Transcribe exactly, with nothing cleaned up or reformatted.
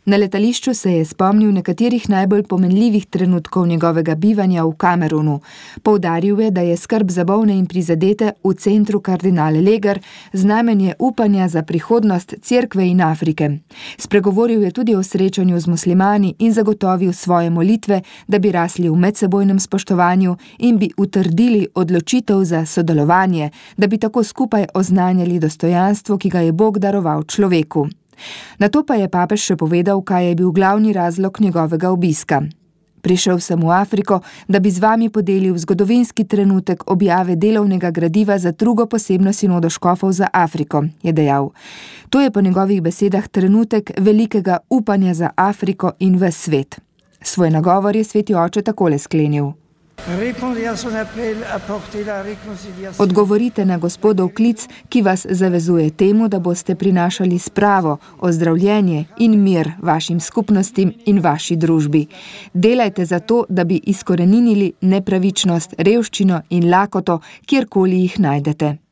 Na letališču se je spomnil nekaterih najbolj pomenljivih trenutkov njegovega bivanja v Kamerunu. Poudaril je, da je skrb za bolne in prizadete v centru kardinal Leger znamenje upanja za prihodnost Cerkve in Afrike. Spregovoril je tudi o srečanju z muslimani in zagotovil svoje molitve, da bi rasli v medsebojnem spoštovanju in bi utrdili odločitev za sodelovanje, da bi tako skupaj oznanjali dostojanstvo, ki ga je Bog daroval človeku. Nato pa je papež še povedal, kaj je bil glavni razlog njegovega obiska. Prišel sem v Afriko, da bi z vami podelil zgodovinski trenutek objave delovnega gradiva za drugo posebno sinodo škofov za Afriko, je dejal. To je po njegovih besedah trenutek velikega upanja za Afriko in ves svet. Svoj nagovor je sveti oče takole sklenil. Odgovorite na Gospodov klic, ki vas zavezuje temu, da boste prinašali spravo, ozdravljenje in mir vašim skupnostim in vaši družbi. Delajte za to, da bi izkoreninili nepravičnost, revščino in lakoto, kjerkoli jih najdete.